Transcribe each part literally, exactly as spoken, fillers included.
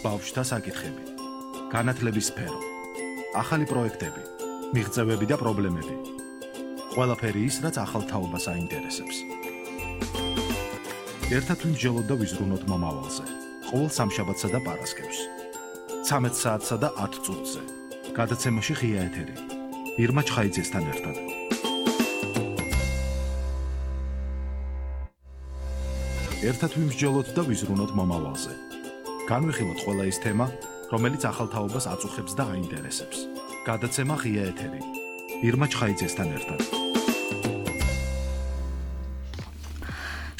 ბავშვთა საკითხები, განათლების სფერო, ახალი პროექტები, მიღწევები და პრობლემები. ყველაფერი ის, რაც ახალ თაობას აინტერესებს. ერთად ვიმსჯელოთ და ვიზრუნოთ მომავალზე. ყოველ სამშაბათსა და პარასკევს. ცამეტ საათსა და ათ წუთზე. გადაცემაში ღია ეთერი. ირმა ჩხაიძესთან ერთად. ერთად ვიმსჯელოთ და ვიზრუნოთ მომავალზე. განვიხილოთ ყველა ის თემა, რომელიც ახალ თაობას აწუხებს და აინტერესებს. გადაცემა ღია ეთერი. ირმა ჩხაიძესთან ერთად.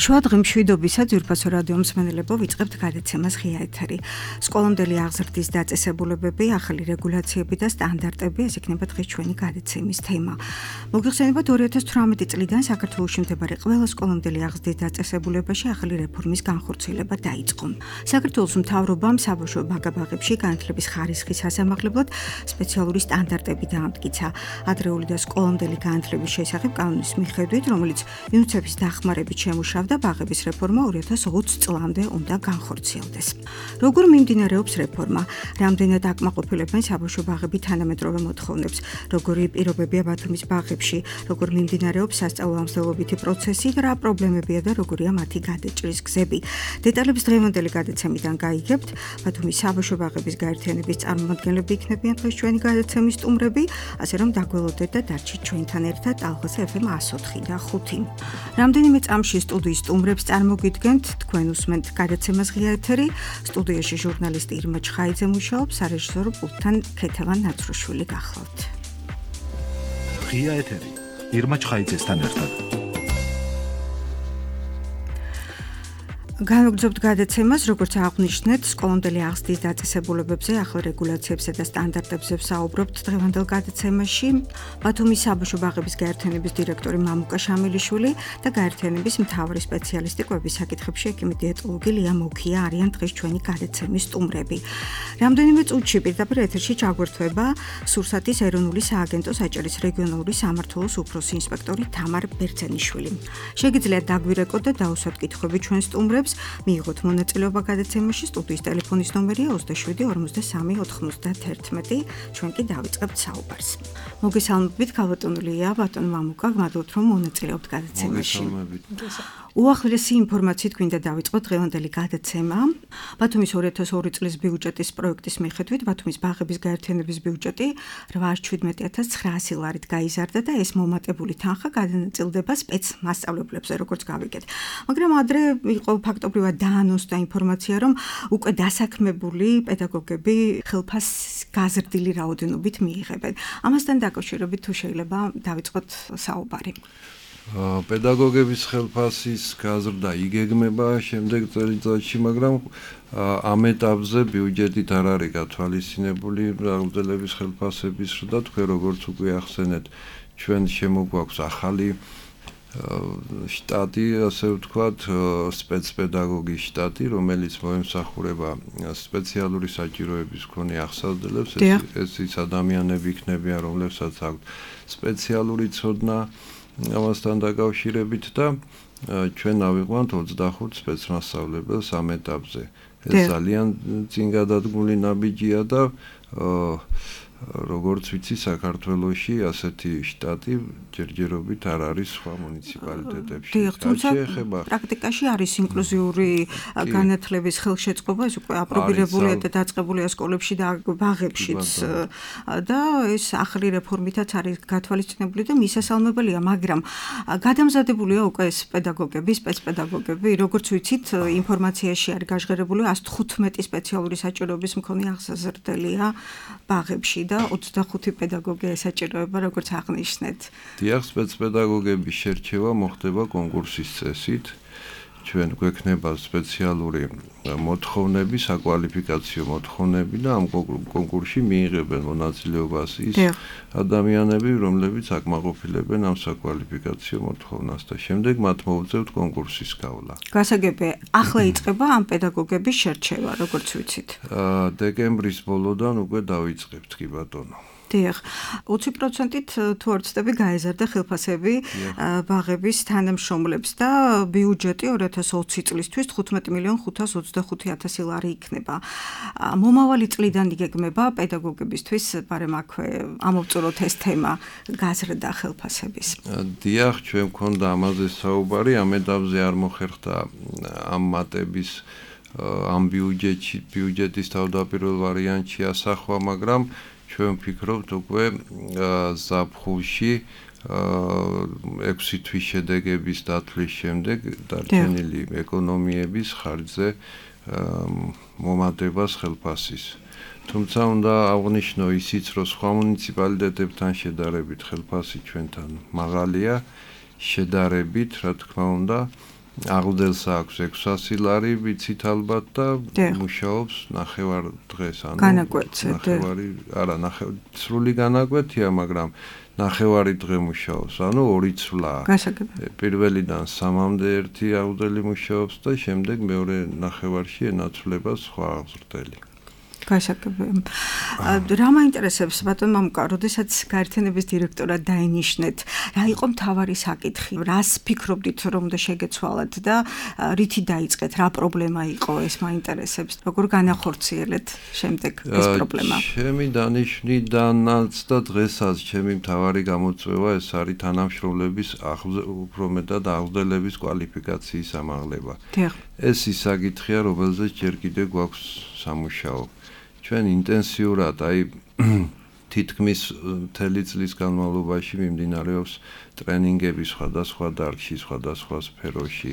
შუადღე მშვიდობისა ძვირფასო რადიო მსმენელებო, ვიწყებთ გადაცემას ღია ეთერი. სკოლამდელი აღზრდის დაწესებულებები, ახალი რეგულაციები და სტანდარტები, ეს იქნება დღეს ჩვენი გადაცემის თემა. მოგიხსენებათ, ორი ათას თვრამეტი წლიდან საქართველოში მდებარე ყველა სკოლამდელი აღზრდის დაწესებულებაში ახალი რეფორმის განხორციელება დაიწყო. საქართველოს მთავრობამ საბავშვო ბაგაბაღებში განათლების ხარისხის სასამართლებლად სპეციალური სტანდარტები დაამტკიცა. ადრეული და სკოლამდელი განათლების შესახებ კანონის მიხედვით, რომელიც იუნიცეფის დახმარებით შემუშავდა და ბაღების რეფორმა ორი ათას ოცი წლამდე უნდა განხორციელდეს. როგორ მიმდინარეობს რეფორმა? რამდენად აკმაყოფილებენ საბავშვო ბაღები თანამედროვე მოთხოვნებს? როგორი პირობებია ბათუმის ბაღებში? როგორ მიმდინარეობს სასწავლო-ამსდელობითი პროცესი და რა პრობლემებია და როგორია მათი გადაჭრის გზები? დეტალებს დღევანდელი გადაცემიდან გაიგებთ. ბათუმის საბავშვო ბაღების გაერთიანების წარმომადგენლები იქნებიან დღეს ჩვენი გადაცემის სტუმრები, ასე რომ დაგველოდეთ და დარჩით ჩვენთან ერთად ალღას ეფ ემ εκა ოთხი და ხუთი. რამდენიმე წამში სტუდიის სტუმრებს წარმოგიდგენთ, თქვენ უსმენთ გადაცემას ღია ეთერი. სტუდიაში ჟურნალისტი ირმა ჩხაიძე მუშაობს, სარეჟისორო პულტთან ქეთევან ნაცრუშვილი გახლავთ. ღია ეთერი. ირმა ჩხაიძესთან ერთად. განვაგრძობთ გადაცემას, როგორც აღვნიშნეთ, სკოლამდელი აღზრდის დაწესებულებებზე, ახალ რეგულაციებსა და სტანდარტებზე ვსაუბრობთ დღევანდელ გადაცემაში. ბათუმის საბავშვო ბაღების გაერთიანების დირექტორი მამუკა შამილიშვილი და გაერთიანების მთავარი სპეციალისტი კვების საკითხებში ექიმი-დიეტოლოგი ლია მუქია არიან დღეს ჩვენი გადაცემის სტუმრები. რამდენიმე წუთში პირდაპირ ეთერში ჩაგვერთვება სურსათის ეროვნული სააგენტოს აჭარის რეგიონალური სამმართველოს უფროსი ინსპექტორი თამარ ბერძენიშვილი. შეგიძლიათ დაგვირეკოთ და დაუსვათ კითხვები ჩვენ სტუმრებს. მიიღოთ მონაწილეობა გადაცემაში. სტუდიის ტელეფონის ნომერია ოცდაშვიდი ორმოცდასამი ოთხმოცდაათერთმეტი. ჩვენ კი დავიწყებთ საუბარს. მოგესალმებით, ქალბატონია, ბატონ მამუკა, გმადლობთ რომ მონაწილეობთ გადაცემაში. უახლესი ინფორმაციით გვინდა დავიწყოთ დღევანდელი გადაცემა. ბათუმის ორი ათას ორი წლის ბიუჯეტის პროექტის მიხედვით ბათუმის ბაღების გაერთიანების ბიუჯეტი რვაას შვიდმეტი ათას ცხრაასი ლარით გაიზარდა და ეს მომატებული თანხა გადანაწილდება სპეცმასწავლებლებზე, როგორც გავიგეთ. მაგრამ ადრე იყო ფაქტობრივად დაანონსდა ინფორმაცია, რომ უკვე დასაქმებული პედაგოგები ხელფასს გაზრდილი რაოდენობით მიიღებენ. ამასთან დაკავშირებით თუ შეიძლება დავიწყოთ საუბარი. პედაგოგების ხელფასის გაზრდა იგეგმება შემდეგ წელიწადში, მაგრამ ამ ეტაპზე ბიუჯეტით არ არის გათვალისწინებული აღზრდელების ხელფასების და თქვენ როგორც უკვე ახსენეთ, ჩვენ შემოგვაქვს ახალი შტატი, ასე ვთქვათ, სპეცპედაგოგის შტატი, რომელიც მოემსახურება სპეციალური საჭიროების მქონე აღზრდელებს. ეს ის ადამიანები იქნებიან, რომლებსაც აქვთ სპეციალური ცოდნა ამასთან დაკავშირებით და ჩვენ ავიყვანთ ოცდახუთ სპეცმასწავლებელს ამ ეტაპზე. ეს ძალიან წინ გადადგმული ნაბიჯია და როგორც ვიცი, საქართველოში ასეთი შტატი ჯერჯერობით არ არის სხვა მუნიციპალიტეტებში. თუმცა პრაქტიკაში არის ინკლუზიური განათლების ხელშეწყობა, ეს უკვე აპრობირებულია და დაწყებულია სკოლებში და ბაღებშიც და ეს ახალი რეფორმითაც არის გათვალისწინებული და მისასალმებელია, მაგრამ გადამზადებულია უკვე ეს პედაგოგები, სპეცპედაგოგები, როგორც ვიცით, ინფორმაციაში არის გაჟღერებული ასი თხუთმეტი სპეციალური საჭიროების მქონე აღზრდელია ბაღებში და ოცდახუთი პედაგოგი ესაჭიროება, როგორც აღნიშნეთ. დიახ, სპეცპედაგოგების შერჩევა მოხდება კონკურსის წესით. ჩვენ გვექნება სპეციალური მოთხოვნები, საკვალიფიკაციო მოთხოვნები და ამ კონკურსში მიიღებენ მონაწილეობას ის ადამიანები, რომლებიც აკმაყოფილებენ ამ საკვალიფიკაციო მოთხოვნას და შემდეგ მათ მოუწევთ კონკურსის გავლა. გასაგებია, ახლა იწყება ამ პედაგოგების შერჩევა, როგორც ვიცით. დეკემბრის ბოლოდან უკვე დავიწყებთ, კი ბატონო. დიახ, ოცი პროცენტით თუ არ ვცდები გაეზარდა ხელფასები ბაღების თანამშრომლებს და ბიუჯეტი ორი ათას ოცი წლისთვის თხუთმეტი მილიონ ხუთას ოცდახუთი ათასი ლარი იქნება. მომავალი წლიდან იგეგმება პედაგოგებისთვის, მაგრამ აქვე ამოვწუროთ ეს თემა გაზრდა ხელფასების. დიახ, ჩვენ მქონდა ამაზე საუბარი, ამ ეტაპზე არ მოხერხდა ამ მატების ამ ბიუჯეტში ბიუჯეტის თავდაპირველ ვარიანტში ასახვა, მაგრამ ჩვენ ვფიქრობთ უკვე ზაფხულში ექვსი თვის შედეგების დათვლის შემდეგ დარჩენილი ეკონომიების ხარჯზე მომატებას ხელფასის. თუმცა უნდა აღვნიშნო ისიც, რომ სხვა მუნიციპალიტეტებთან შედარებით ხელფასი ჩვენთან მაღალია, შედარებით, რა თქმა უნდა, აღდგენს აქვს ექვსასი ლარი ვიცით ალბათ და მუშაობს ნახევარ დღეს, ანუ ნახევარი, არა, სრული განაკვეთია, მაგრამ ნახევარი დღე მუშაობს, ანუ ორი ცვლა. პირველიდან სამამდე ერთი აღდგენი მუშაობს და შემდეგ მეორე ნახევარში ენაცვლება სხვა აღზრდელი. გასაგებია. რა მაინტერესებს ბატონ მამუკა, როდესაც გაერთიანების დირექტორად დაინიშნეთ, რა იყო მთავარი საკითხი? რას ფიქრობდით, რომ უნდა შეგეცვალათ და რითი დაიწყეთ, რა პრობლემა იყო, ეს მაინტერესებს. როგორ განახორციელეთ შემდეგ ეს პრობლემა? ჩემი დანიშვნიდანაც და დღესაც ჩემი მთავარი გამოწვევა ეს არის თანამშრომლების უფრო მეტად აღზრდელების კვალიფიკაციის ამაღლება. ეს ის საკითხია, რომელზეც ჯერ კიდევ გვაქვს სამუშაო. ჩვენ ინტენსიურად, აი თითქმის მთელი წლის განმავლობაში მიმდინარეობს ტრენინგები სხვადასხვა დარგში, სხვადასხვა სფეროში.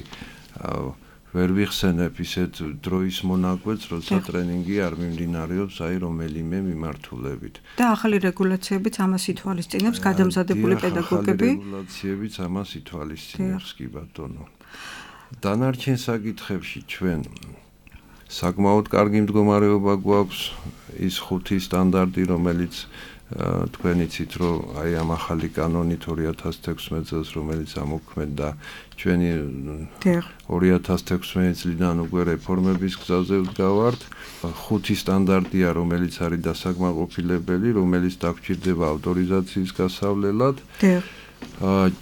ვერ ვიხსენებ ისეთ დროის მონაკვეთს, როცა ტრენინგი არ მიმდინარეობს, აი რომელიმე მიმართულებით. და ახალი რეგულაციებიც ამას ითვალისწინებს, გადამზადებული პედაგოგები. ახალი რეგულაციებიც ამას ითვალისწინებს, კი ბატონო. დანარჩენ საკითხებში ჩვენ საკმაოდ კარგი მდგომარეობა გვაქვს, ის ხუთი სტანდარტი, რომელიც თქვენ იცით, რომ აი ამ ახალი კანონით ორი ათას თექვსმეტ წელს, რომელიც ამოქმედდა, ჩვენი ორი ათას თექვსმეტ წლიდან უკვე რეფორმების გზაზე ვდგავართ. ხუთი სტანდარტია, რომელიც არის დასაკმაყოფილებელი, რომელიც დაგჭირდება ავტორიზაციის გასავლელად.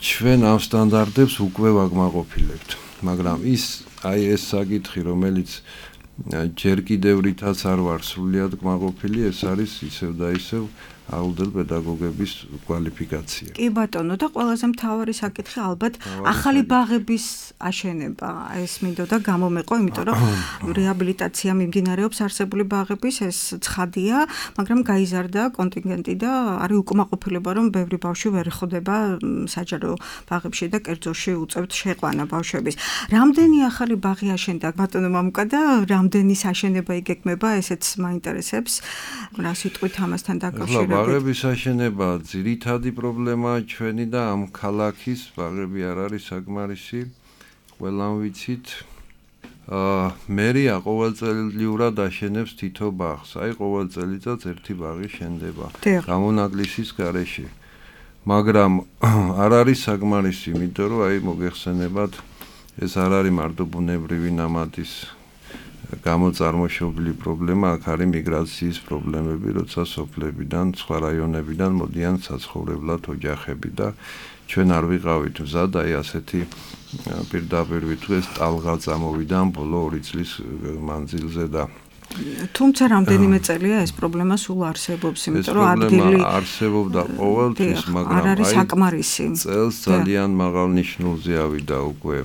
ჩვენ ამ სტანდარტებს უკვე ვაკმაყოფილებთ, მაგრამ ის აი ეს საკითხი, რომელიც ჯერ კიდევ რითაც არ ვარ სრულიად კმაყოფილი, ეს არის ისევ და ისევ აღზრდელ პედაგოგების კვალიფიკაცია. კი ბატონო, და ყველაზე მთავარი საკითხი ალბათ ახალი ბაღების აშენება. ეს მინდოდა გამომეყო, იმიტომ რომ რეაბილიტაცია მიმდინარეობს არსებული ბაღების, ეს ცხადია, მაგრამ გაიზარდა კონტინგენტი და არის უკმაყოფილება, რომ ბევრი ბავშვი ვერ ხვდება საჯარო ბაღებში და კერძოში უწევთ შეყვანა ბავშვების. რამდენი ახალი ბაღი აშენდა ბატონო მამუკა და რამდენის აშენება იგეგმება, ესეც მაინტერესებს. რა სიტყვით ამასთან დაკავშირებით? ბაღების აშენება ძირითადი პრობლემაა ჩვენი და ამ ქალაქის ბაღები არ არის საკმარისი, ყველამ ვიცით. მერია ყოველწლიურად აშენებს თითო ბაღს, აი ყოველ წელიწადს ერთი ბაღი შენდება გამონაკლისის გარეშე. მაგრამ არ არის საკმარისი, იმიტომ რომ აი მოგეხსენებათ, ეს არ არის მარტო ბუნებრივი ნამატის გამოწარმოშობილი პრობლემა, აქ არის მიგრაციის პრობლემები, როცა სოფლებიდან, სხვა რაიონებიდან მოდიან საცხოვრებლად ოჯახები და ჩვენ არ ვიყავით მზად, აი ასეთი პირდაპირ ვიტყვეს ტალღა წამოვიდა ბოლო ორი წლის მანძილზე და თუმცა რამდენიმე წელია ეს პრობლემა სულ არსებობს, იმიტომ რომ ადგილი არსებობდა ყოველთვის, მაგრამ არ არის საკმარისი. წელს ძალიან მაღალ ნიშნულზე ავიდა უკვე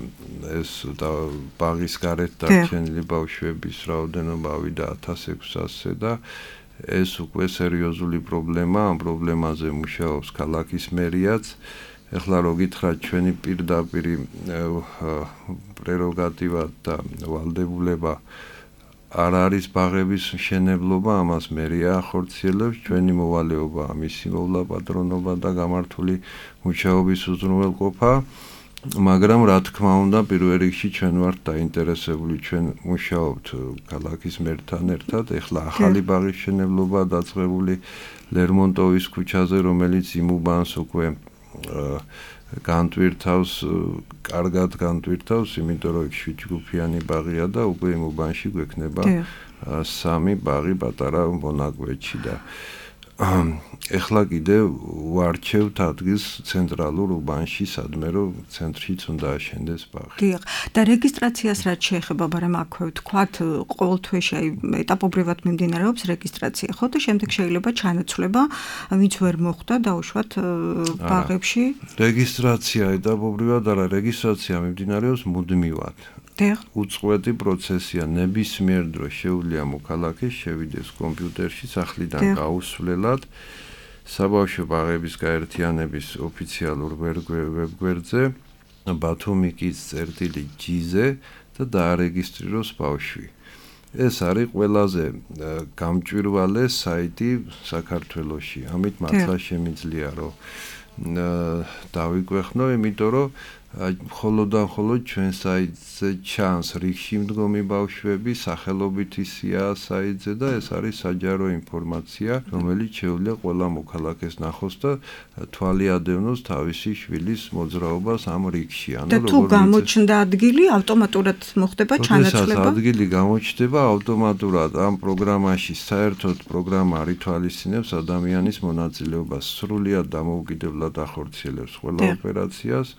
ეს და ბაღის გარეთ დარჩენილი ბავშვების რაოდენობა ავიდა ათას ექვსასზე და ეს უკვე სერიოზული პრობლემაა, ამ პრობლემაზე მუშაობს ქალაქის მერიაც. ეხლა რო გითხრათ, ჩვენი პირდაპირი პრეროგატივა და ვალდებულება არ არის ბაღების მშენებლობა, ამას მერია ახორციელებს, ჩვენი მოვალეობა ამისი მოვლა პატრონობა და გამართული მუშაობის უზრუნველყოფა, მაგრამ რა თქმა უნდა, პირველ რიგში ჩვენ ვართ დაინტერესებული, ჩვენ მუშაობთ ქალაქის მერთან ერთად, ეხლა ახალი ბაღის მშენებლობა დაწყებული ლერმონტოვის ქუჩაზე, რომელიც იმუბანს უკვე განტვირთავს, კარგად განტვირთავს, იმიტომ რომ შვიდჯგუფიანი ბაღია და უკვე იმუბანში გვექნება სამი ბაღი პატარა მონაკვეთში და ეხლა კიდე ვარჩევთ ადგილს ცენტრალურ უბანში, სადმე რომ ცენტრშიც უნდა აშენდეს ბაღი. დიახ, და რეგისტრაციას რაც შეეხება, მაგრამ აქვე ვთქვათ, ყოველ თვეში აი ეტაპობრივად მიმდინარეობს რეგისტრაცია, ხო და შემდეგ შეიძლება ჩანაცვლება, ვინც ვერ მოხვდა დაუშვათ ბაღებში. რეგისტრაცია ეტაპობრივად არა, რეგისტრაცია მიმდინარეობს მუდმივად. უწყვეტი პროცესია, ნებისმიერ დროს შეუძლია მოქალაქეს შევიდეს კომპიუტერში სახლიდან გაუსვლელად საბავშვო ბაღების გაერთიანების ოფიციალურ ვებგვერდზე ბათუმიკის წერტილი ჯი-ზე და დაარეგისტრიროს ბავშვი. ეს არის ყველაზე გამჭვირვალე საიტი საქართველოში. ამით მართლა შემიძლია რომ დავიგვეხნო, იმიტომ რომ მხოლოდ და მხოლოდ ჩვენ საიტზე ჩანს რიგში მდგომი ბავშვები, სახელობითი სია საიტზე და ეს არის საჯარო ინფორმაცია, რომელიც შეუძლია ყველა მოქალაქეს ნახოს და თვალი ადევნოს თავისი შვილის მოძრაობას ამ რიგში. და თუ გამოჩნდა ადგილი, ავტომატურად მოხდება ჩანაცვლება? როდესაც ადგილი გამოჩნდება, ავტომატურად ამ პროგრამაში საერთოდ პროგრამა არ ითვალისწინებს ადამიანის მონაწილეობას, სრულიად დამოუკიდებლად ახორციელებს ყველა ოპერაციას.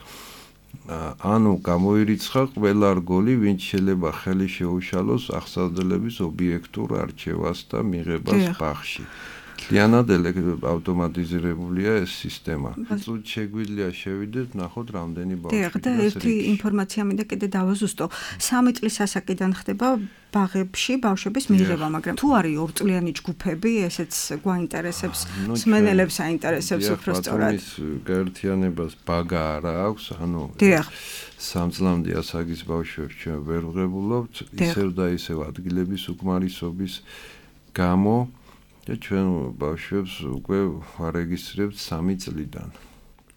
ანუ გამოირიცხა ყველა რგოლი, ვინც შეიძლება ხელი შეუშალოს აღსავსებლების ობიექტურ არჩევას და მიღებას ბაღში. მთლიანად ავტომატიზირებულია ეს სისტემა. წუთში შეგვიძლია შევიდეთ, ნახოთ რამდენი ბავშვი. დიახ, და ერთი ინფორმაცია მინდა კიდე დავაზუსტო. სამი წლის ასაკიდან ხდება ბაღებში ბავშვების მიღება, მაგრამ თუ არის ორწლიანი ჯგუფები, ესეც გვაინტერესებს, მსმენელებს აინტერესებს უფრო სწორად. ბათუმის გაერთიანებას ბაგა არა აქვს, ანუ სამ წლამდე ასაკის ბავშვებს ჩვენ ვერ ვღებულობთ, ისევ და ისევ ადგილების უკმარისობის გამო და ჩვენ ბავშვებს უკვე ვარეგისტრირებთ სამი წლიდან.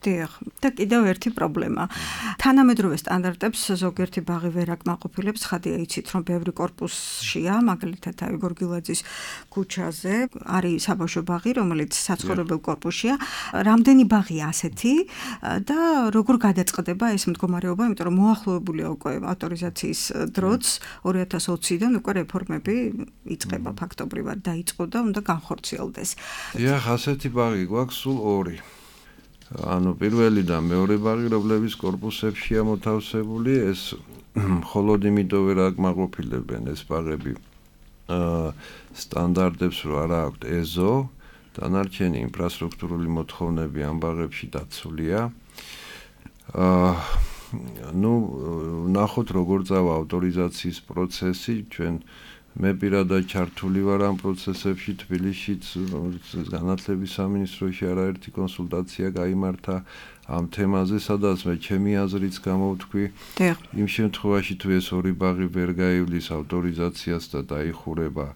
დიახ, და კიდევ ერთი პრობლემა. თანამედროვე სტანდარტებს ზოგიერთი ბაღი ვერ აკმაყოფილებს, ხადია იცით, რომ ბევრი კორპუსშია, მაგალითად აიგორ გილაძის ქუჩაზე არის საბავშვო ბაღი, რომელიც საცხოვრებელ კორპუსშია. რამდენი ბაღია ასეთი და როგორ გადაწყდება ეს მდგომარეობა, იმიტომ რომ მოახლოებულია უკვე ავტორიზაციის დროც, ორი ათას ოციდან უკვე რეფორმები იწყება ფაქტობრივად დაიწყო და უნდა განხორციელდეს. დიახ, ასეთი ბაღი გვაქვს სულ ორი. ანუ პირველი და მეორე ბაღი, რომლებიც კორპუსებშია მოთავსებული, ეს მხოლოდ იმიტომ ვერ აკმაყოფილებენ ეს ბაღები სტანდარტებს, რომ არ აქვთ ეზო, დანარჩენი ინფრასტრუქტურული მოთხოვნები ამ ბაღებში დაცულია. ну, ნახოთ როგორ წავა ავტორიზაციის პროცესი, ჩვენ მე პირადად ჩართული ვარ ამ პროცესებში თბილისშიც, განათლების სამინისტროში არაერთი კონსულტაცია გაიმართა ამ თემაზე, სადაც მე ჩემი აზრიც გამოვთქვი. იმ შემთხვევაში თუ ეს ორი ბაღი ვერ გაივლის ავტორიზაციას და დაიხურება,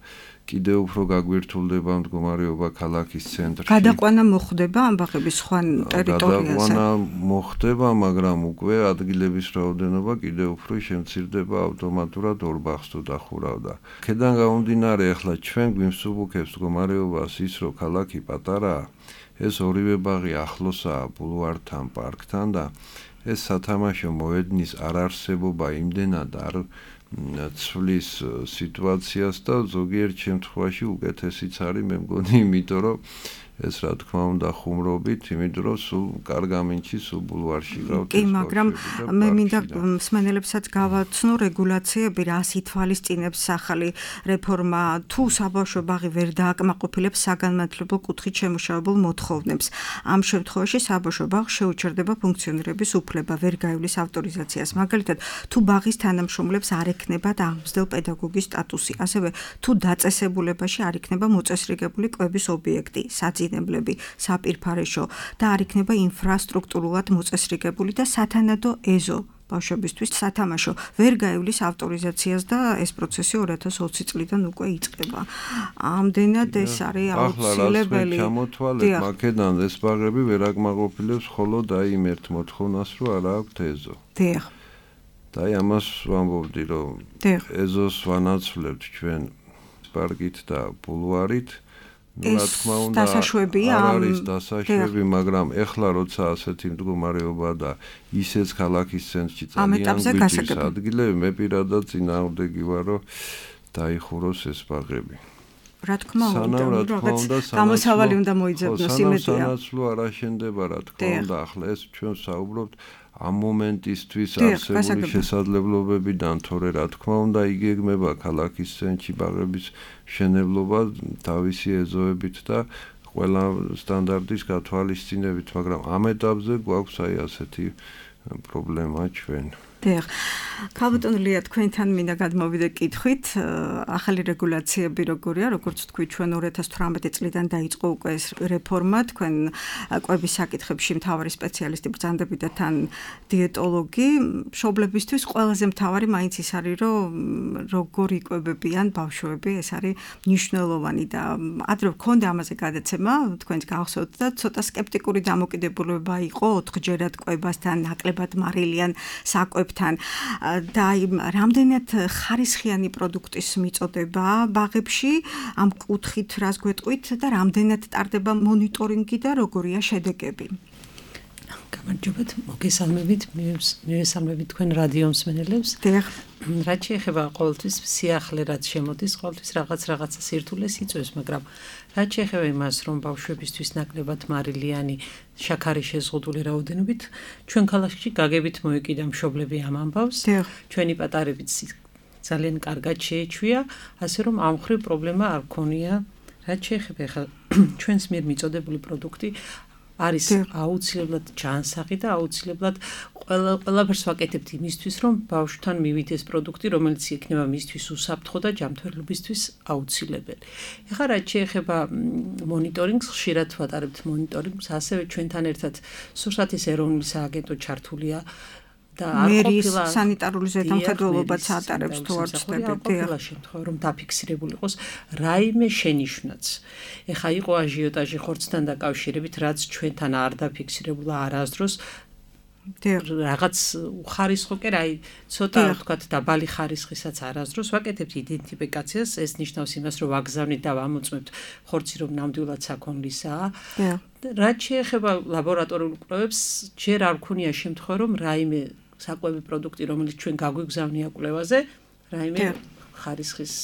კიდევ უფრო გაგვირთულდება მდგომარეობა ქალაქის ცენტრში. გადაყვანა მოხდება ამ ბაღების სხვა ტერიტორიაზე? გადაყვანა მოხდება, მაგრამ უკვე ადგილების რაოდენობა კიდევ უფრო შემცირდება, ავტომატურად ორ ბაღს თუ დახურავდა. ქედან გამომდინარე, ახლა ჩვენ გვიმსუბუქებს მდგომარეობას ის, რომ ქალაქი პატარაა, ეს ორივე ბაღი ახლოსაა ბულვართან, პარკთან და ეს სათამაშო მოედნის არარსებობა იმდენად არ ცვლის სიტუაციას და ზოგიერთ შემთხვევაში უკეთესიც არის, მე მგონი, იმიტომ რომ ეს რა თქმა უნდა ხუმრობით, იმიტომ რომ სულ კარგ ამინჩი სულ ბულვარში ყავთ. კი, მაგრამ მე მინდა მსმენელებსაც გავაცნო რეგულაციები, რას ითვალისწინებს ახალი რეფორმა, თუ საბავშვო ბაღი ვერ დააკმაყოფილებს საგანმანათლებლო კუთხით შემუშავებულ მოთხოვნებს. ამ შემთხვევაში საბავშვო ბაღს შეუჩერდება ფუნქციონირების უფლება, ვერ გაივლის ავტორიზაციას. მაგალითად, თუ ბაღის თანამშრომლებს არ ექნებათ აღმზრდელ პედაგოგის სტატუსი, ასევე თუ დაწესებულებაში არ იქნება მოწესრიგებული კვების ობიექტი, საძინებლები, საპირფარეშო და არ იქნება ინფრასტრუქტურულად მოწესრიგებული და სათანადო ეზო ბავშვებისთვის სათამაშო ვერ გაივლის ავტორიზაციას და ეს პროცესი ორი ათას ოცი წლიდან უკვე იწყება. ამდენად ეს არის აუცილებელი. ახლა ჩამოთვალეთ, მაგედან ეს ბაღები ვერ აკმაყოფილებს მხოლოდ აი იმ ერთ მოთხოვნას, რომ არ აქვთ ეზო. დიახ. და აი ამას ვამბობდი, რომ ეზოს ვანაცვლებთ ჩვენ პარკით და ბულვარით. ну, რა თქმა უნდა, არ არის დასაშვები, მაგრამ ეხლა როცა ასეთი მდგომარეობა და ისეც ქალაქის ცენტრში ძალიან გვიჭირს ადგილები, მე პირადად წინააღმდეგი ვარ, რომ დაიხუროს ეს ბაღები. რა თქმა უნდა, სანამ რა თქმა უნდა, გამოსავალი უნდა მოიძებნოს იმედია. სანაცვლო არ აშენდება რა თქმა უნდა, ახლა ეს ჩვენ საუბრობთ ამ მომენტისთვის არსებული შესაძლებლობებიდან, თორე რა თქმა უნდა, იგეგმება ქალაქის ცენტრში ბაღების მშენებლობა თავისი ეზოებით და ყველა სტანდარტის გათვალისწინებით, მაგრამ ამ ეტაპზე გვაქვს აი ასეთი პრობლემა ჩვენ. დიახ. ქალბატონო ლია, თქვენთან მინდა გადმოვიდე კითხვით, ახალი რეგულაციები როგორია, როგორც თქვი, ჩვენ ორი ათას თვრამეტი წლიდან დაიწყო უკვე ეს რეფორმა, თქვენ კვების საკითხებში მთავარი სპეციალისტი ბრძანდებით და თან დიეტოლოგი, მშობლებისთვის ყველაზე მთავარი მაინც ის არის, რომ როგორ იკვებებიან ბავშვები, ეს არის მნიშვნელოვანი და ადრე გქონდა ამაზე გადაცემა, თქვენს გახსოვთ და ცოტა სკეპტიკური დამოკიდებულება იყო ოთხჯერად კვებასთან, ნაკლებად მარილიან საკვებ თან და რამდენად ხარისხიანი პროდუქტის მიწოდება ბაღებში ამ კუთხით რას გვეტყვით და რამდენად ტარდება მონიტორინგი და როგორია შედეგები. გამარჯობათ, მოგესალმებით, მივესალმებით თქვენ რადიო მსმენელებს. დიახ. რაც შეეხება ყოველთვის სიახლე რაც შემოდის, ყოველთვის რაღაც რაღაცა სირთულეს იწვევს, მაგრამ რაც შეეხება იმას, რომ ბავშვებისთვის ნაკლებად მარილიანი შაქარი შეზღუდული რაოდენობით, ჩვენ ქალაქში გაგებით მოეკიდა მშობლები ამ ამბავს. ჩვენი პატარებიც ძალიან კარგად შეეჩვია, ასე რომ ამ ხრივ პრობლემა არ ქონია. რაც შეეხება ხა ჩვენს მიერ მიწოდებული პროდუქტი არის აუცილებლად ჯანსაღი და აუცილებლად ყველა ყველაფერს ვაკეთებთ იმისთვის, რომ ბავშვთან მივიდეს პროდუქტი, რომელიც იქნება მისთვის უსაფრთხო და ჯანმრთელობისთვის აუცილებელი. ეხლა რაც შეეხება მონიტორინგს, ხშირად ვატარებთ მონიტორინგს, ასევე ჩვენთან ერთად სურსათის ეროვნული სააგენტო ჩართულია და არ ყოფილა სანიტარული ზედამხედველობაც ატარებს თუ არ ვცდებით. დიახ, შემთხვევა რომ დაფიქსირებული იყოს რაიმე შენიშვნაც. ეხა იყო აჟიოტაჟი ხორცთან დაკავშირებით, რაც ჩვენთან არ დაფიქსირებულა არასდროს. რაღაც უხარისხო კი რა, ცოტა ვთქვათ დაბალი ხარისხისაც არასდროს ვაკეთებთ იდენტიფიკაციას, ეს ნიშნავს იმას, რომ ვაგზავნით და ვამოწმებთ ხორცი, რომ ნამდვილად საქონლისაა. რაც შეეხება ლაბორატორიულ კვლევებს, ჯერ არ ვქონია შემთხვევა, რომ რაიმე საკვები პროდუქტი, რომელიც ჩვენ გაგვიგზავნია კვლევაზე, რაიმე ხარისხის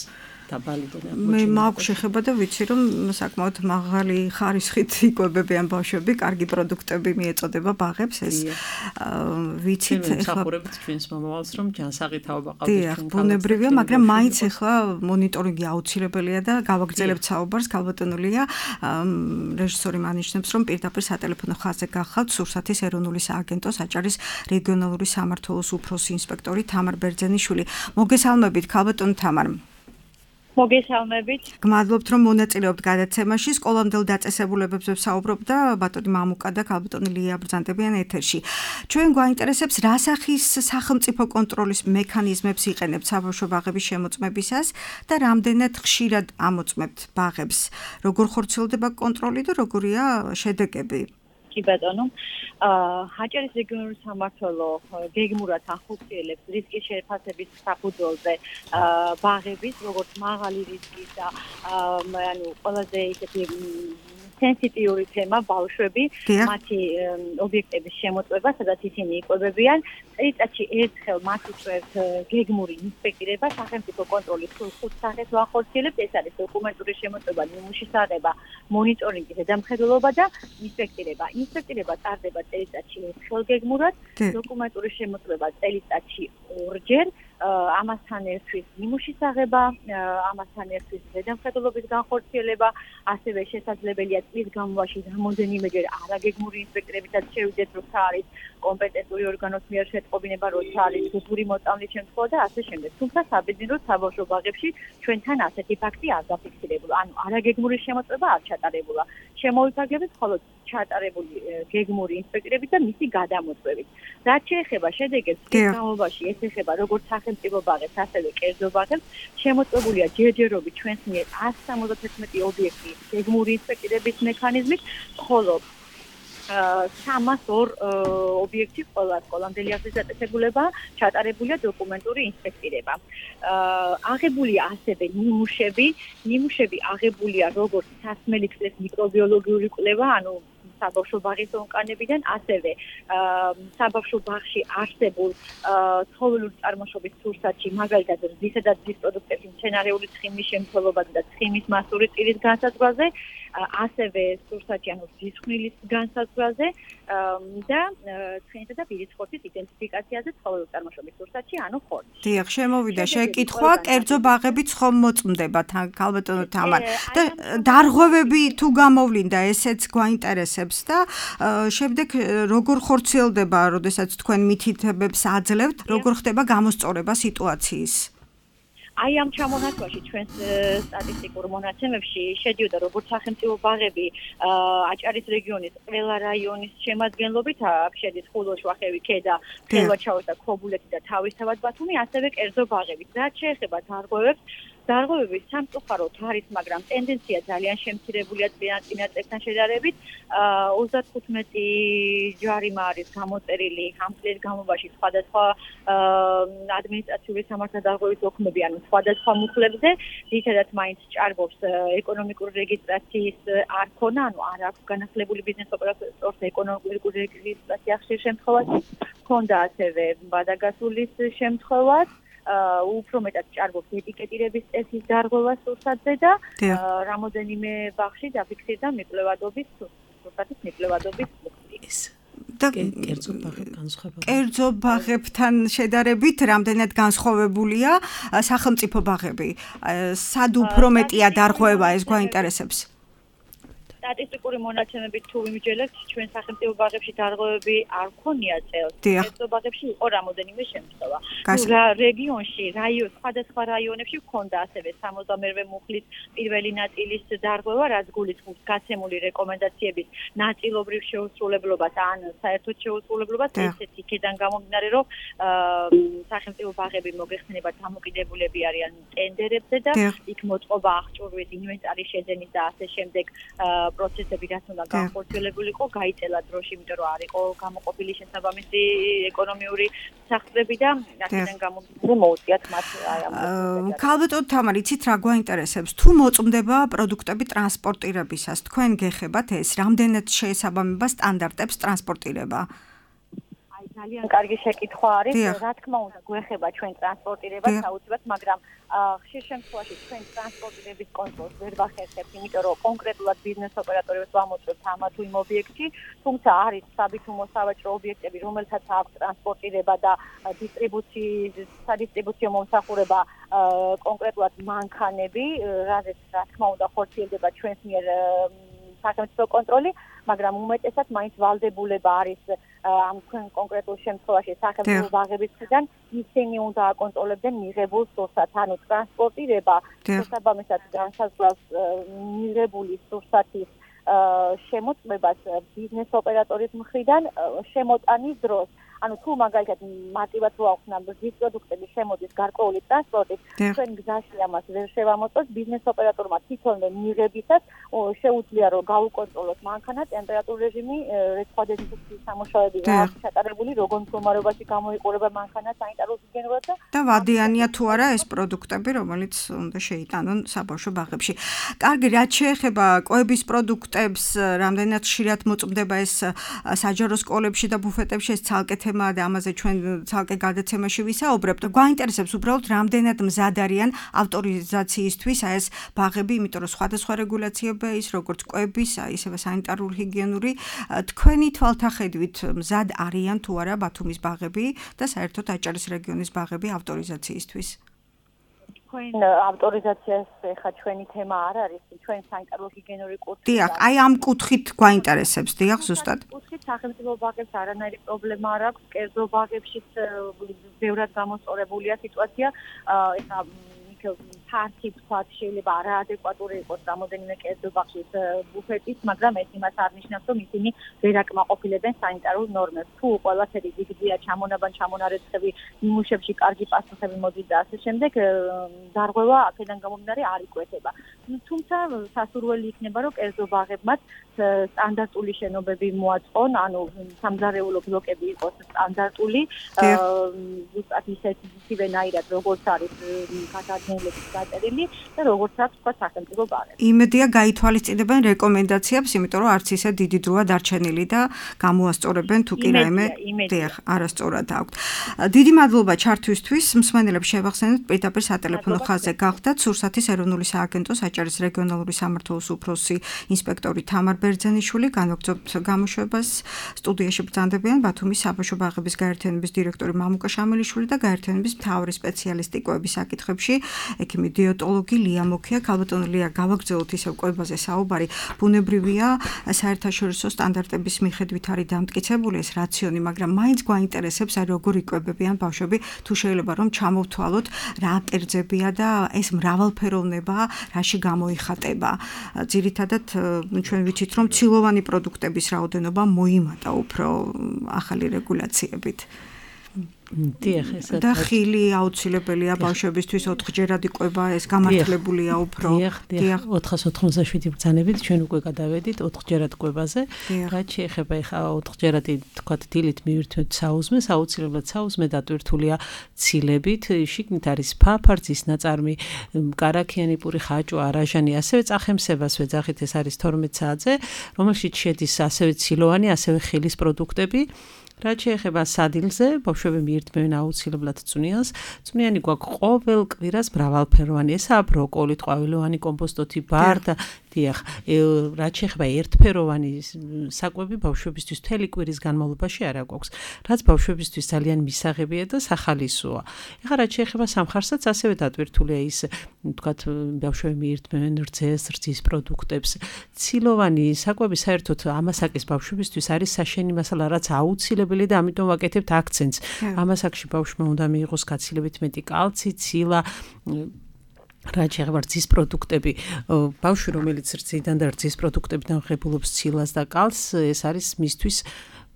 დაბალი და მე მაქვს შეხება და ვიცი რომ საკმაოდ მაღალი ხარისხით იკვებებიან ბავშვები, კარგი პროდუქტები მიეწოდება ბაღებს, ეს ვიცით ეხლა ჩვენს მომავალს რომ ჯანსაღი თაობა ყავდეს ჩვენ ქალაქში. ბუნებრივია, მაგრამ მაინც ეხლა მონიტორინგი აუცილებელია და გავაგრძელებთ საუბარს. ქალბატონო ლია, რეჟისორი მანიშნებს რომ პირდაპირ სატელეფონო ხაზზე გახავთ სურსათის ეროვნული სააგენტოს აჭარის რეგიონალური სამმართველოს უფროსი ინსპექტორი თამარ ბერძენიშვილი. მოგესალმებით ქალბატონო თამარ. მოგესალმებით. გმადლობთ რომ მონაწილეობთ გადაცემაში. სკოლამდელ დაწესებულებებზე ვსაუბრობ და ბატონი მამუკა და ქალბატონი ლია ბრძანდებიან ეთერში. ჩვენ გვაინტერესებს რა სახის სახელმწიფო კონტროლის მექანიზმებს იყენებთ საბავშვო ბაღების შემოწმებისას და რამდენად ხშირად ამოწმებთ ბაღებს. როგორ ხორციელდება კონტროლი და როგორია შედეგები? კი ბატონო, აჭარის რეგიონული სამმართველო გეგმურად ახორციელებს რისკის შეფასების საფუძველზე ბაღების, როგორც მაღალი რისკის და ანუ ყველაზე ისეთი სენსიტიური თემა ბავშვები, მათი ობიექტების შემოწმება, სადაც ისინი იკვებებიან. წელიწადში ერთხელ მათ უწევთ გეგმური ინსპექტირება, სახელმწიფო კონტროლის ხუთ სახეს ვახორციელებთ. ეს არის დოკუმენტური შემოწმება, ნიმუშის აღება, მონიტორინგი, ზედამხედველობა და ინსპექტირება. ინსპექტირება ტარდება წელიწადში ერთხელ გეგმურად, დოკუმენტური შემოწმება წელიწადში ორჯერ. ამასთან ერთვის ნიმუშის აღება, ამასთან ერთვის ზედამხედველობის განხორციელება, ასევე შესაძლებელია წლის განმავლობაში რამდენიმეჯერ არაგეგმური ინსპექტირებითაც შევიდეთ, როცა არის კომპეტენტური ორგანოს მიერ შეტყობინება, როცა არის გუბური მოწამვლის შემთხვევა და ასე შემდეგ. თუმცა საბედნიეროდ საბავშვო ბაღებში ჩვენთან ასეთი ფაქტი არ დაფიქსირებულა. ანუ არაგეგმური შემოწმება არ ჩატარებულა. შემოვიფარგლებით მხოლოდ ჩატარებული გეგმური ინსპექტირებით და მისი გადამოწმებით. რაც შეეხება შედეგებს, განმავლობაში ეს ეხება როგორც სახელმწიფო ბაღებს, ასევე კერძო ბაღებს, შემოწმებულია ჯერჯერობით ჩვენს მიერ ათს სამოცდათერთმეტი ობიექტი გეგმური ინსპექტირების მექანიზმით, ხოლო სამას ორ ობიექტი ყველა სკოლამდელი ახლის დაწესებულება ჩატარებულია დოკუმენტური ინსპექტირება. აღებულია ასევე ნიმუშები, ნიმუშები აღებულია როგორც სასმელი წყლის მიკრობიოლოგიური კვლევა, ანუ საბავშვო ბაღის ონკანებიდან, ასევე საბავშვო ბაღში არსებულ ცხოველური წარმოშობის სურსათში, მაგალითად რძისა და რძის პროდუქტების მცენარეული ცხიმის შემცველობაზე და ცხიმის მასური წილის განსაზღვრაზე, ასევე სურსათში ანუ რძის ხმილის განსაზღვრაზე და ცხენისა და ბირის ხორცის იდენტიფიკაციაზე ცხოველური წარმოშობის სურსათში, ანუ ხორცში. დიახ, შემოვიდა შეკითხვა, კერძო ბაღებიც ხომ მოწმდება ქალბატონო თამარ და დარღვევები თუ გამოვლინდა, ესეც გვაინტერესებს და შემდეგ როგორ ხორციელდება, როდესაც თქვენ მითითებებს აძლევთ, როგორ ხდება გამოსწორება სიტუაციის? აი ამ ჩამონათვალში ჩვენს სტატისტიკურ მონაცემებში შედიოდა როგორც სახელმწიფო ბაღები აჭარის რეგიონის ყველა რაიონის შემადგენლობით, აქ შედის ხულო, შვახევი, ქედა, ხელვაჩაუს და ქობულეთი და თავისთავად ბათუმი, ასევე კერძო ბაღები. რაც შეეხება დარღვევებს, დარღვევები სამწუხაროდ არის, მაგრამ ტენდენცია ძალიან შემცირებულია წინა წლებთან შედარებით. ოცდათხუთმეტი ჯარიმა არის გამოწერილი ამ წლის განმავლობაში სხვადასხვა ადმინისტრაციული სამართალდარღვევის დოქუმენტები, ანუ სხვადასხვა მუხლებზე, ძირითადად მაინც ჭარბობს ეკონომიკური რეგისტრაციის არქონა, ანუ არ აქვს განახლებული ბიზნეს ოპერატორს ეკონომიკური რეგისტრაცია ხშირ შემთხვევაში, ჰქონდა ასევე ბადაგასულის შემთხვევაც. უფრო მეტად ჭარბობს ეტიკეტირების წესის დარღვევა სურსათზე და რამოდენიმე ბაღში დაფიქსირდა მიკვლევადობის სურსათის მიკვლევადობის ის და კერძო ბაღებთან განსხვავებით კერძო ბაღებთან შედარებით რამდენად განსხვავებულია სახელმწიფო ბაღები? სად უფრო მეტია დარღვევა, ეს გვაინტერესებს? სტატისტიკური მონაცემებით თუ ვიმსჯელებთ, ჩვენ სახელმწიფო ბაღებში დარღვევები არ ქონია წელს. კერძო ბაღებში იყო რამოდენიმე შემთხვევა. რეგიონში, რაიონ, სხვადასხვა რაიონებში ჰქონდა ასევე სამოცდამერვე მუხლის პირველი ნაწილის დარღვევა, რაც გულისხმობს გაცემული რეკომენდაციების ნაწილობრივ შეუსრულებლობას ან საერთოდ შეუსრულებლობას, ესეც იქიდან გამომდინარე, რომ სახელმწიფო ბაღები მოგეხსენებათ დამოკიდებულები არიან ტენდერებზე და იქ მოწყობა აღჭურვის, ინვენტარის შეძენის და ასე შემდეგ პროცესები რაც უნდა განხორციელებული იყო, გაიწელა დროში, იმიტომ რომ არ იყო გამოყოფილი შესაბამისი ეკონომიური სახსრები და აქედან გამომდინარე მოუწიათ მათ აი ამ ქალბატონო თამარ, იცით რა გვაინტერესებს? თუ მოწმდება პროდუქტები ტრანსპორტირებისას, თქვენ გეხებათ ეს, რამდენად შეესაბამება სტანდარტებს ტრანსპორტირება? ძალიან კარგი შეკითხვა არის. რა თქმა უნდა, გვეხება ჩვენ ტრანსპორტირებას აუცილებლად, მაგრამ ხშირ შემთხვევაში ჩვენ ტრანსპორტირების კონტროლს ვერ ვახერხებთ, იმიტომ რომ კონკრეტულად ბიზნეს ოპერატორებს ვამოწევთ ამა თუ იმ ობიექტში, თუმცა არის საბითუმო სავაჭრო ობიექტები, რომელთაც აქვს ტრანსპორტირება და დისტრიბუციის, სადისტრიბუციო მომსახურება კონკრეტულად მანქანები, რაზეც რა თქმა უნდა ხორციელდება ჩვენს მიერ სახელმწიფო კონტროლი, მაგრამ უმეტესად მაინც ვალდებულება არის ამ თქვენ კონკრეტულ შემთხვევაში სახელმწიფო ბაღების მხრიდან ისინი უნდა აკონტროლებდნენ მიღებულ სურსათს, ანუ ტრანსპორტირება შესაბამისად განსაზღვრავს მიღებული სურსათის შემოწმებას ბიზნეს ოპერატორის მხრიდან შემოტანის დროს. ანუ თუ მაგალითად მარტივად რო აღვხნა ბიზნეს პროდუქტების შემოდის გარკვეული ტრანსპორტით, ჩვენ გზაში ამას ვერ შევამოწმოთ, ბიზნეს ოპერატორმა თვითონვე მიღებისას შეუძლია რომ გაუკონტროლოს მანქანა, ტემპერატურული რეჟიმი, სხვა დეზინფექციის სამუშაოები რა აქვს ჩატარებული, როგორ მდგომარეობაში გამოიყურება მანქანა სანიტარულ ჰიგიენურად და ვადიანია თუ არა ეს პროდუქტები, რომელიც უნდა შეიტანონ საბავშვო ბაღებში. კარგი, რაც შეეხება კვების პროდუქტებს, რამდენად ხშირად მოწმდება ეს საჯარო სკოლებში და ბუფეტებში, ეს ცალკე თემა და ამაზე ჩვენ ცალკე გადაცემაში ვისაუბრებთ. გვაინტერესებს უბრალოდ რამდენად მზად არიან ავტორიზაციისთვის აი ეს ბაღები, იმიტომ რომ სხვადასხვა რეგულაციებია ის, როგორც კვების, ისევე სანიტარული ჰიგიენური. თქვენი თვალთახედვით მზად არიან თუ არა ბათუმის ბაღები და საერთოდ აჭარის რეგიონის ბაღები ავტორიზაციისთვის? თქვენ ავტორიზაციას ხა ჩვენი თემა არ არის, ჩვენ სანიტარული ჰიგიენური კურსი. დიახ, აი ამ კუთხით გვაინტერესებს, დიახ, ზუსტად. კუთხით სახელმწიფო ბაღებს არანაირი პრობლემა არ აქვს, კერძო ბაღებშიც ბევრად გამოსწორებულია სიტუაცია. ეხა ფართი თქვათ შეიძლება არაადეკვატური იყოს რამოდენიმე კერძო ბაღის ბუფეტის, მაგრამ ეს იმას არ ნიშნავს, რომ ისინი ვერ აკმაყოფილებენ სანიტარულ ნორმებს. თუ ყველაფერი დიდია ჩამონაბან ჩამონარეცხები, ნიმუშებში კარგი პასუხები მოდის და ასე შემდეგ, დარღვევა აქედან გამომდინარე არ იკვეთება. თუმცა სასურველი იქნება, რომ კერძო ბაღებმაც სტანდარტული შენობები მოაწყონ, ანუ სამზარეულო ბლოკები იყოს სტანდარტული, ზუსტად ისეთივენაირად როგორც არის გადაადგილების დაწერილი და როგორცაც თქვა სახელმწიფო ბაღები. იმედია გაითვალისწინებენ რეკომენდაციებს, იმიტომ რომ არც ისე დიდი დროა დარჩენილი და გამოასწორებენ თუ კი რაიმე დიახ, არასწორად აქვთ. დიდი მადლობა ჩართვისთვის. მსმენელებს შევახსენებთ პირდაპირ სატელეფონო ხაზზე გახდათ სურსათის ეროვნული სააგენტოს აჭარის რეგიონალური სამმართველოს უფროსი ინსპექტორი თამარ ბერძენიშვილი, განვაგრძობთ გამოშვებას. სტუდიაში ბრძანდებიან ბათუმის საბავშვო ბაღების გაერთიანების დირექტორი მამუკა შამელიშვილი და გაერთიანების მთავარი სპეციალისტი კვების საკითხებში, ექიმი დიეტოლოგი ლია მოქია. ქალბატონო ლია, გავაგრძელოთ ისევ კვებაზე საუბარი. ბუნებრივია, საერთაშორისო სტანდარტების მიხედვით არის დამტკიცებული ეს რაციონი, მაგრამ მაინც გვაინტერესებს აი როგორ იკვებებიან ბავშვები, თუ შეიძლება რომ ჩამოვთვალოთ რა კერძებია და ეს მრავალფეროვნება რაში გამოიხატება. ძირითადად ჩვენ ვიცით რომ ცილოვანი პროდუქტების რაოდენობა მოიმატა უფრო ახალი რეგულაციებით. დიახ, ესა და ხილი აუცილებელია ბავშვებისთვის ოთხჯერადი კვება, ეს გამართლებულია უფრო. დიახ, დიახ, ოთხას ოცდაშვიდი ბრძანებით ჩვენ უკვე გადავედით ოთხჯერად კვებაზე. რაც შეეხება ეხა ოთხჯერადი თქვა დილით მივირთვეთ საუზმეს, აუცილებლად საუზმე დატვირთულია ცილებით, შიგნით არის ფაფარძის ნაწარმი, კარაქიანი პური, ხაჭვა, არაჟანი, ასევე წახემსებას ვეძახით, ეს არის თორმეტ საათზე, რომელშიც შედის ასევე ცილოვანი, ასევე ხილის პროდუქტები. რაც შეეხება სადილზე, ბავშვები მიირთმევენ აუცილებლად წვნიანს. წვნიანი გვაქვს ყოველ კვირას მრავალფეროვანი, ესაა ბროკოლი, ყვავილოვანი კომპოსტოთი, ბარდა, დიახ, რაც შეეხება ერთფეროვანი საკვები ბავშვებისთვის მთელი კვირის განმავლობაში არ აგვაქვს, რაც ბავშვებისთვის ძალიან მისაღებია და სახალისოა. ეხლა რაც შეეხება სამხარსაც, ასევე დატვირთულია ის, ვთქვათ, ბავშვები მიირთმევენ რძეს, რძის პროდუქტებს. ცილოვანი საკვები საერთოდ ამასაკის ბავშვებისთვის არის საშენი მასალა, რაც აუცილებელი და ამიტომ ვაკეთებთ აქცენტს. ამასაკში ბავშვმა უნდა მიიღოს გაცილებით მეტი კალცი, ცილა, რაც შეეხება რძის პროდუქტები, ბავშვი რომელიც რძიდან და რძის პროდუქტებიდან ღებულობს ცილას და კალცს, ეს არის მისთვის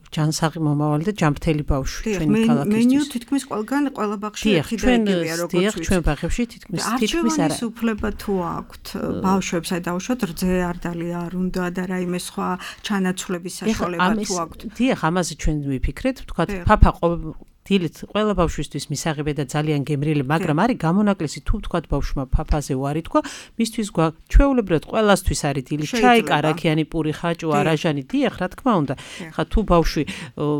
ჯანსაღი მომავალი და ჯანმრთელი ბავშვი ჩვენი ქალაქისთვის. მენიუ თითქმის ყველგან ყველა ბაღში ერთი და იგივეა, როგორც ვიცით. ჩვენ ბაღებში თითქმის თითქმის არა. არჩევანის უფლება თუ აქვთ ბავშვებს, აი დავუშვათ რძე არ დალია არ უნდა და რაიმე სხვა ჩანაცვლების საშუალება თუ აქვთ. დიახ, ამაზე ჩვენ ვიფიქრეთ, ვთქვათ, ფაფა დილით ყველა ბავშვისთვის მისაღებია და ძალიან გემრიელი, მაგრამ არის გამონაკლისი თუ ვთქვათ ბავშვმა ფაფაზე უარი თქვა, მისთვის ჩვეულებრივად ყველასთვის არის დილით ჩაი, კარაქიანი პური, ხაჭვა, არაჟანი, დიახ, რა თქმა უნდა. ხა თუ ბავშვი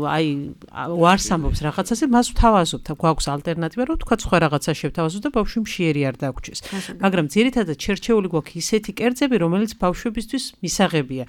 აი უარს ამბობს რაღაცაზე, მას ვთავაზობთ, გვაქვს ალტერნატივა, რომ ვთქვათ სხვა რაღაცა შევთავაზოთ და ბავშვი მშიერი არ დაგვრჩეს. მაგრამ ძირითადად შერჩეული გვაქვს ისეთი კერძები, რომელიც ბავშვებისთვის მისაღებია.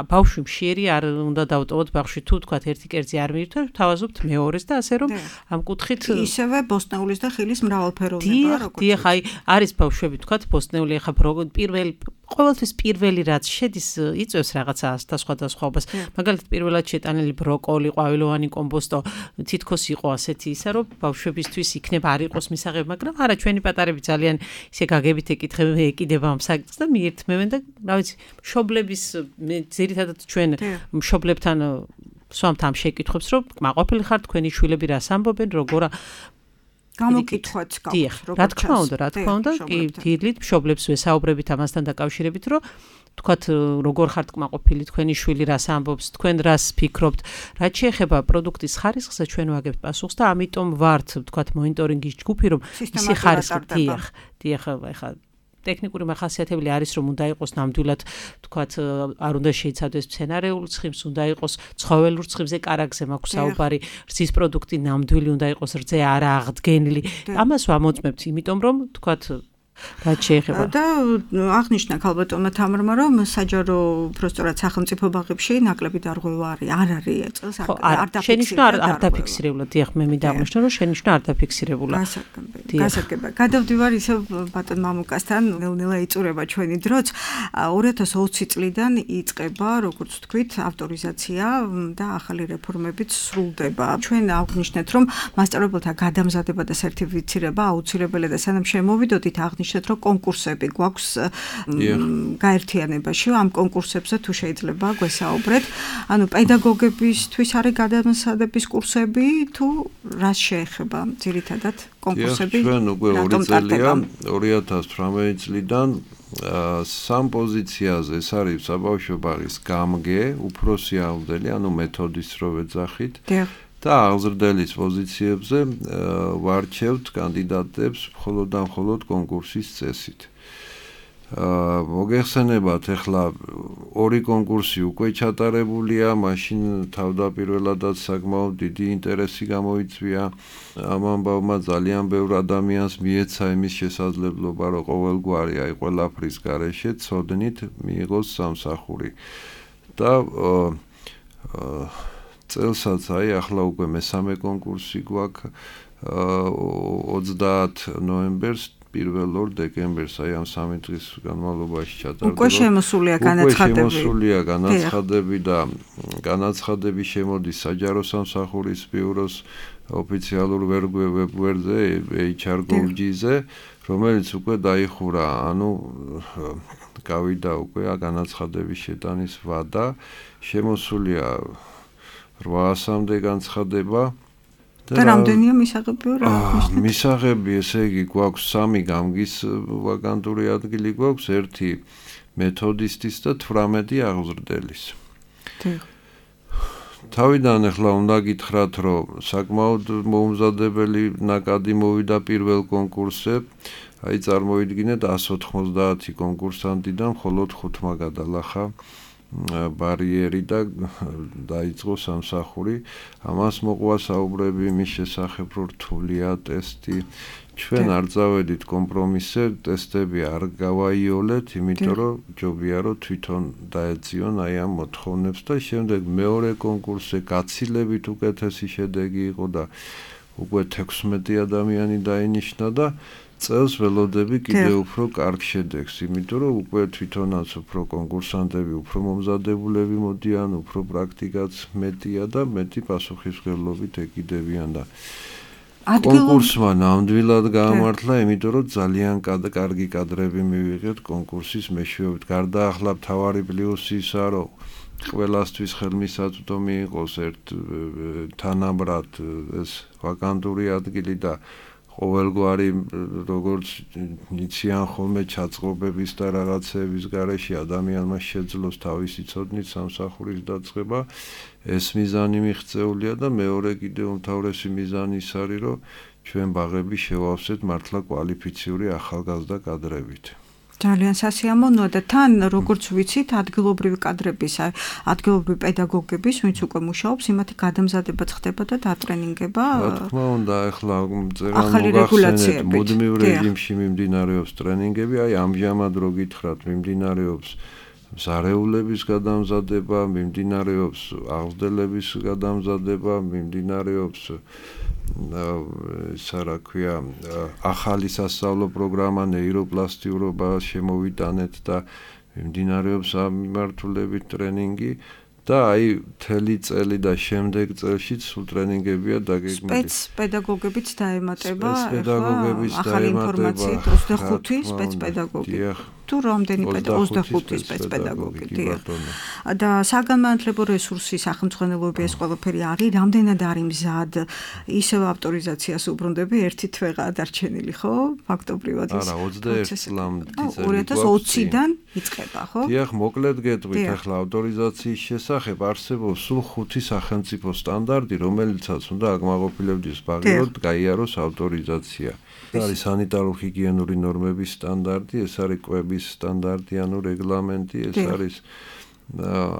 ბავშვი მშიერი არ უნდა დავტოვოთ ბავშვი თუ თქვათ ერთი კერძი არ მიირთვა, ვთავაზობთ მეორეს და ასე რომ ამ კუთხით ისევე ბოსტნეულის და ხილის მრავალფეროვნება როგორც დიახ, აი არის ბავშვები თქვათ ბოსტნეული ახლა პირველ ყოველთვის პირველი რაც შედის იწევს რაღაცა და სხვადასხვაობას. მაგალითად პირველად შეტანილი ბროკოლი, ყვავილოვანი კომპოსტო თითქოს იყო ასეთი ისა რომ ბავშვებისთვის იქნება არ იყოს მისაღები, მაგრამ არა ჩვენი პატარები ძალიან ისე გაგებით ეკითხებენ, ეკიდება ამ საკითხს და მიირთმევენ და რა ვიცი, მშობლების ძირითადად ჩვენ მშობლებთან სვამთ ამ შეკითხვებს, რომ კმაყოფილი ხართ თქვენი შვილები რას ამბობენ, როგორ გამოკითხვაც გაქვს, რა თქმა უნდა, რა თქმა უნდა, კი დილით მშობლებს ვესაუბრებით ამასთან დაკავშირებით, რომ თქვათ როგორ ხართ კმაყოფილი თქვენი შვილი რას ამბობს, თქვენ რას ფიქრობთ, რაც შეეხება პროდუქტის ხარისხზე ჩვენ ვაგებთ პასუხს და ამიტომ ვართ თქვათ მონიტორინგის ჯგუფი, რომ ისი ხარისხი დიახ, დიახ, ეხლა ტექნიკური მახასიათებელი არის რომ უნდა იყოს ნამდვილად თქვათ არ უნდა შეიცავდეს მცენარეული ცხიმს, უნდა იყოს ცხოველურ ცხიმზე კარაგზე მაქვს საუბარი, რძის პროდუქტი ნამდვილი უნდა იყოს, რძე არა აღდგენილი. ამას ვამოწმებთ, იმიტომ რომ თქვათ რაც შეეხება და აღნიშნა ქალბატონმა თამარმა რომ საჯარო უბრალოდ სახელმწიფო ბაღებში ნაკლები დარღვევა არის, არ არის წელს არ დაფიქსირებულა. არ დაფიქსირებულა, დიახ, მე მინდა აღნიშნო რომ შენიშვნა არ დაფიქსირებულა. გასაგება. გადავდივარ ისევ ბატონ მამუკასთან, ნელ-ნელა იწურება ჩვენი დროც. ორი ათას ოცი წლიდან იწყება, როგორც ვთქვით, ავტორიზაცია და ახალი რეფორმებიც სრულდება. ჩვენ აღნიშნეთ რომ მასწავლებელთა გადამზადება და სერტიფიცირება აუცილებელია და სანამ შემოვიდოდით აღნიშნეთ რომ კონკურსები გვაქვს გაერთიანებაში, ამ კონკურსებზე თუ შეიძლება გვესაუბრეთ. ანუ პედაგოგებისთვის არის გადამზადების კურსები თუ რას შეეხება ძირითადად კონკურსები? ჩვენ უკვე ორი წელია, ორი ათას თვრამეტი წლიდან სამ პოზიციაზე ეს არის საბავშვო ბაღის გამგე, უფროსი აღზრდელი, ანუ მეთოდის რო ვეძახით. და აღზრდელის პოზიციებზე ვარჩევთ კანდიდატებს მხოლოდ და მხოლოდ კონკურსის წესით. მოგეხსენებათ, ახლა ორი კონკურსი უკვე ჩატარებულია, მაშინ თავდაპირველადაც საკმაოდ დიდი ინტერესი გამოიწვია ამ ამბავმა, ძალიან ბევრ ადამიანს მიეცა იმის შესაძლებლობა, რომ ყოველგვარი აი ყველაფრის გარეშე ცოდნით მიიღოს სამსახური. და წელსაც აი ახლა უკვე მესამე კონკურსი გვაქვს ოცდაათ ნოემბერს პირველ ორ დეკემბერს აი ამ სამი დღის განმავლობაში ჩატარდება. უკვე შემოსულია განაცხადები. უკვე შემოსულია განაცხადები და განაცხადები შემოდის საჯარო სამსახურის ბიუროს ოფიციალურ ვებგვერდზე ეიჩ არ გოვ ჯი-ზე, რომელიც უკვე დაიხურა, ანუ გავიდა უკვე განაცხადების შეტანის ვადა, შემოსულია რვაასამდე განცხადება. და რამდენია მისაღები რა აღნიშნეთ? მისაღები, ესე იგი, გვაქვს სამი გამგის ვაკანტური ადგილი გვაქვს, ერთი მეთოდისტის და თვრამეტი აღზრდელის. თავიდან ახლა უნდა გითხრათ, რომ საკმაოდ მოუმზადებელი ნაკადი მოვიდა პირველ კონკურსზე. აი წარმოიდგინეთ εκατს ოთხმოცდაათი კონკურსანტიდან მხოლოდ ხუთმა გადალახა ბარიერი და დაიწყო სამსახური. ამას მოყვა საუბრები იმის შესახებ, რომ რთულია ტესტი. ჩვენ არ წავედით კომპრომისზე, ტესტები არ გავაიოლეთ, იმიტომ რომ ჯობია რომ თვითონ დაეციონ აი ამ მოთხოვნებს და შემდეგ მეორე კონკურსზე გაცილებით უკეთესი შედეგი იყო და უკვე თექვსმეტი ადამიანი დაინიშნა და წელს ველოდები კიდევ უფრო კარგ შედეგს, იმიტომ რომ უკვე თვითონაც უფრო კონკურსანტები, უფრო მომზადებულები მოდიან, უფრო პრაქტიკაც მეტია და მეტი პასუხისმგებლობით ეკიდებიან და კონკურსმა ნამდვილად გაამართლა, იმიტომ რომ ძალიან კარგი კადრები მივიღეთ კონკურსის მეშვეობით. გარდა ახლა მთავარი პლუსი ისაა, რომ ყველასთვის ხელმისაწვდომი იყოს ერთ თანაბრად ეს ვაკანტური ადგილი და ყოველგვარი როგორც იციან ხოლმე ჩაწყობების და რაღაცების გარეშე ადამიანმა შეძლოს თავისი ცოდნით სამსახურის დაწყება, ეს მიზანი მიღწეულია და მეორე კიდევ უმთავრესი მიზანი ის არის, რომ ჩვენ ბაღები შევავსეთ მართლა კვალიფიციური ახალგაზრდა კადრებით. ძალიან სასიამოვნოა და თან როგორც ვიცით ადგილობრივი კადრების, ადგილობრივი პედაგოგების, ვინც უკვე მუშაობს, იმათი გადამზადება ხდება და დატრენინგება. რა თქმა უნდა, ახლა წერან მოგახსენეთ, მუდმივ რეჟიმში მიმდინარეობს ტრენინგები, აი ამჟამად რო გითხრათ, მიმდინარეობს მზარეულების გადამზადება, მიმდინარეობს აღზრდელების გადამზადება, მიმდინარეობს ისა რა ქვია ახალი სასწავლო პროგრამა ნეიროპლასტიურობა შემოვიტანეთ და მიმდინარეობს ამ მიმართულებით ტრენინგი და აი მთელი წელი და შემდეგ წელშიც სულ ტრენინგებია დაგეგმილი. სპეცპედაგოგებიც დაემატება, სპეცპედაგოგებიც ახალი ინფორმაციით ოცდახუთი სპეცპედაგოგი. თუ რამდენი ოცდახუთი სპეცპედაგოგი, დიახ. და საგანმანათლებლო რესურსი სახელმწიფოებრივი ეს ყველაფერი არის, რამდენად არის მზად, ისევ ავტორიზაციას უბრუნდები, ერთი თვეღაა დარჩენილი, ხო? ფაქტობრივად ის. არა, ოცდაერთი წლამდე ორი ათას ოციდან იწყება, ხო? დიახ, მოკლედ გეტყვით, ახლა ავტორიზაციის შესახებ არსებობს სულ ხუთი სახელმწიფო სტანდარტი, რომელიცაც უნდა აკმაყოფილებდეს ბაღი, რომ გაიაროს ავტორიზაცია. არის სანიტარო-ჰიგიენური ნორმების სტანდარტი, ეს არის კვების სტანდარტი, ანუ რეგლამენტი, ეს არის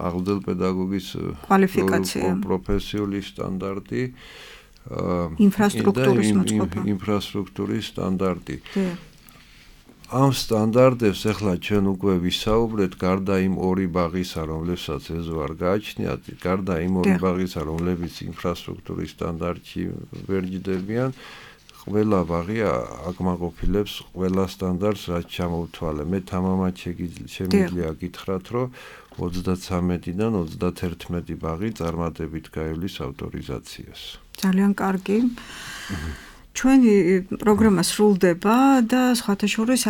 აღზრდელ პედაგოგის კვალიფიკაცია, პროფესიული სტანდარტი, ინფრასტრუქტურის მოწყობა, ინფრასტრუქტურის სტანდარტი. ამ სტანდარტებს ახლა ჩვენ უკვე ვისაუბრეთ, გარდა იმ ორი ბაღისა, რომლებსაც ეზო არ გააჩნიათ, გარდა იმ ორი ბაღისა, რომლებიც ინფრასტრუქტურის სტანდარტში ვერ ჯდებიან, ყველა ბაღი აკმაყოფილებს ყველა სტანდარტს, რაც ჩამოვთვალე. მე თამამად შემიძლია გითხრათ, რომ ოცდაცამეტიდან ოცდათერთმეტი ბაღი წარმატებით გაივლის ავტორიზაციას. ძალიან კარგი. ჩვენი პროგრამა სრულდება და სხვათა შორის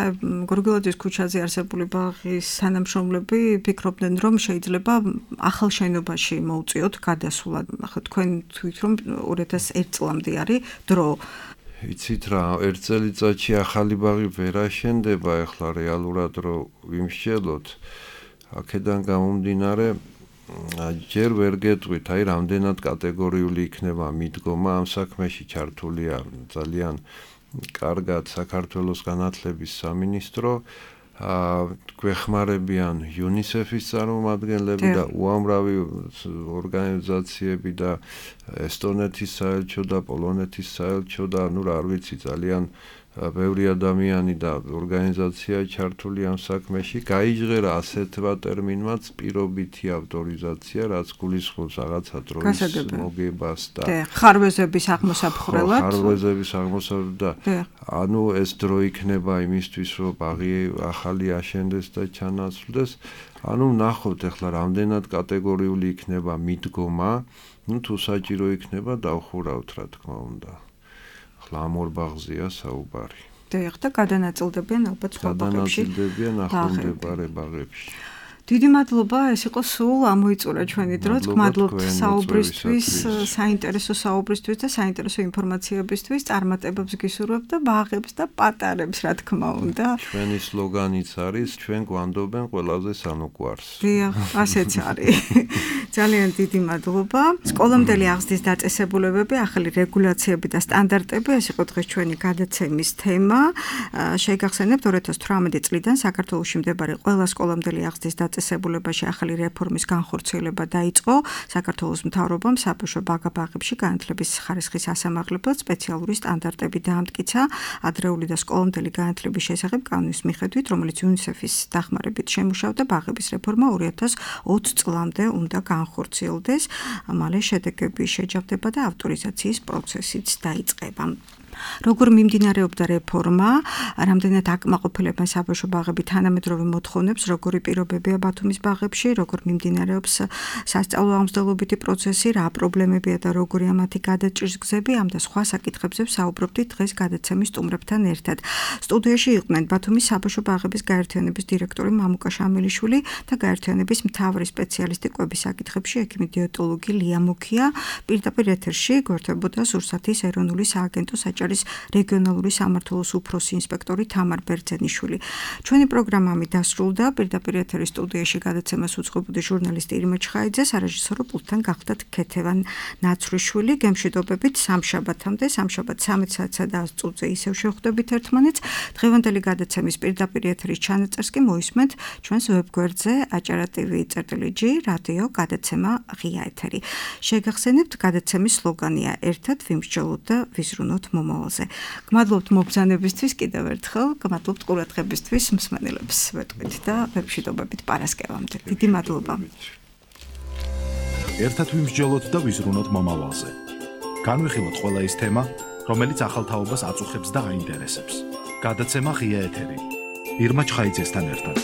გორგილაძის ქუჩაზე არსებული ბაღის თანამშრომლები ფიქრობდნენ, რომ შეიძლება ახალ შენობაში მოუწიოთ გადასვლა. ახლა თქვენ თვით რომ ორი ათას ერთი წლამდე არის დრო. იცით რა, ერთ წელიწადში ახალი ბაღი ვერ აშენდება, ახლა რეალურად რო ვიმსჯელოთ, აქედან გამომდინარე ჯერ ვერ გეტყვით, აი რამდენად კატეგორიული იქნება მიდგომა ამ საქმეში ჩართულია ძალიან კარგად საქართველოს განათლების სამინისტრო, გვეხმარებიან იუნისეფის წარმომადგენლები და უამრავი ორგანიზაციები და ესტონეთის საელჩო და პოლონეთის საელჩო და ნუ რა ვიცი ძალიან ბევრი ადამიანი და ორგანიზაცია ჩართული ამ საქმეში. გაიჟღერა ასეთმა ტერმინმაც პირობითი ავტორიზაცია, რაც გულისხმობს რაღაცა დროის მოგებას და ხარვეზების აღმოსაფხვრელად. ხარვეზების აღმოსაფხვრელად და ანუ ეს დრო იქნება იმისთვის, რომ ბაღი ახალი აშენდეს და ჩანაცვლდეს. ანუ ნახოთ ახლა რამდენად კატეგორიული იქნება მიდგომა, ну თუ საჭირო იქნება დავხურავთ რა თქმა უნდა. ამ ორ ბაღზეა საუბარი. დიახ, და გადანაწილდებიან ალბათ სხვა ბაღებში. გადანაწილდებიან ახლომდებარე ბაღებში. დიდი მადლობა, ეს იყო სულ ამოიწურა ჩვენი დროც. გმადლობთ საუბრისთვის, საინტერესო საუბრისთვის და საინტერესო ინფორმაციებისთვის. წარმატებებს გისურვებთ და ბაღებს და პატარებს, რა თქმა უნდა. ჩვენი სლოგანიც არის, ჩვენ გვანდობენ ყველაზე სანუკვარს. დიახ, ასეც არის. ძალიან დიდი მადლობა. სკოლამდელი აღზრდის დაწესებულებები, ახალი რეგულაციები და სტანდარტები, ეს იყო დღეს ჩვენი გადაცემის თემა. შეგახსენებთ ორი ათას თვრამეტი წლიდან საქართველოში მდებარე ყველა სკოლამდელი აღზრდის დაწესებულებაში ახალი რეფორმის განხორციელება დაიწყო. საქართველოს მთავრობამ საბავშვო ბაღ-ბაღებში განათლების ხარისხის ასამაღლებლად სპეციალური სტანდარტები დაამტკიცა ადრეული და სკოლამდელი განათლების შესახებ კანონის მიხედვით, რომელიც იუნისეფის დახმარებით შემუშავდა. ბაღების რეფორმა ორი ათას ოცი წლამდე უნდა განხორციელდეს. მალე შედეგები შეჯავდება და ავტორიზაციის პროცესიც დაიწყება. როგორ მიმდინარეობდა რეფორმა, რამდენად აკმაყოფილებენ საბავშვო ბაღები თანამედროვე მოთხოვნებს, როგორი პირობებია ბათუმის ბაღებში, როგორ მიმდინარეობს სასწავლო აღმსდელობითი პროცესი, რა პრობლემებია და როგორია მათი გადაჭრის გზები, ამ და სხვა საკითხებზე ვსაუბრობდით დღეს გადაცემის სტუმრებთან ერთად. სტუდიაში იყვნენ ბათუმის საბავშვო ბაღების გაერთიანების დირექტორი მამუკა შამელიშვილი და გაერთიანების მთავარი სპეციალისტი კვების საკითხებში ექიმი დიეტოლოგი ლია მუქია. პირდაპირ ეთერში გვერდებოდა სურსათის ეროვნული სააგენტოს საჭარის რეგიონალური სამმართველოს უფროსი ინსპექტორი თამარ ბერძენიშვილი. ჩვენი პროგრამა დასრულდა. პირდაპირ ეთერის სტუდიაში გადაცემას უძღვებოდი ჟურნალისტი ირმა ჩხაიძე, სარეჟისორო პულტთან გახდათ ქეთევან ნაცრიშვილი. გემშვიდობებით სამშაბათამდე, სამშაბათ სამი საათსა და ათი წუთზე ისევ შევხვდებით ერთმანეთს. დღევანდელი გადაცემის პირდაპირ ეთერის ჩანაწერს კი მოისმენთ ჩვენს ვებგვერდზე აჭარა ტივი წერტილი ჯი რადიო გადაცემა ღია ეთერი. შეგახსენებთ გადაცემის სლოგანია ერთად ვიმსჯელოთ და ვიზრუნოთ მომავალზე. გმადლობთ მობრძანებისთვის კიდევ ერთხელ, გმადლობთ ყურადღებისთვის მსმენელებს ვეტყვით და ვებშვიდობებით პარასკევამდე. დიდი მადლობა. ერთად ვიმსჯელოთ და ვიზრუნოთ მომავალზე. განვიხილოთ ყველა ის თემა, რომელიც ახალ თაობას აწუხებს და აინტერესებს. გადაცემა ღია ეთერი. ირმა ჩხაიძესთან ერთად.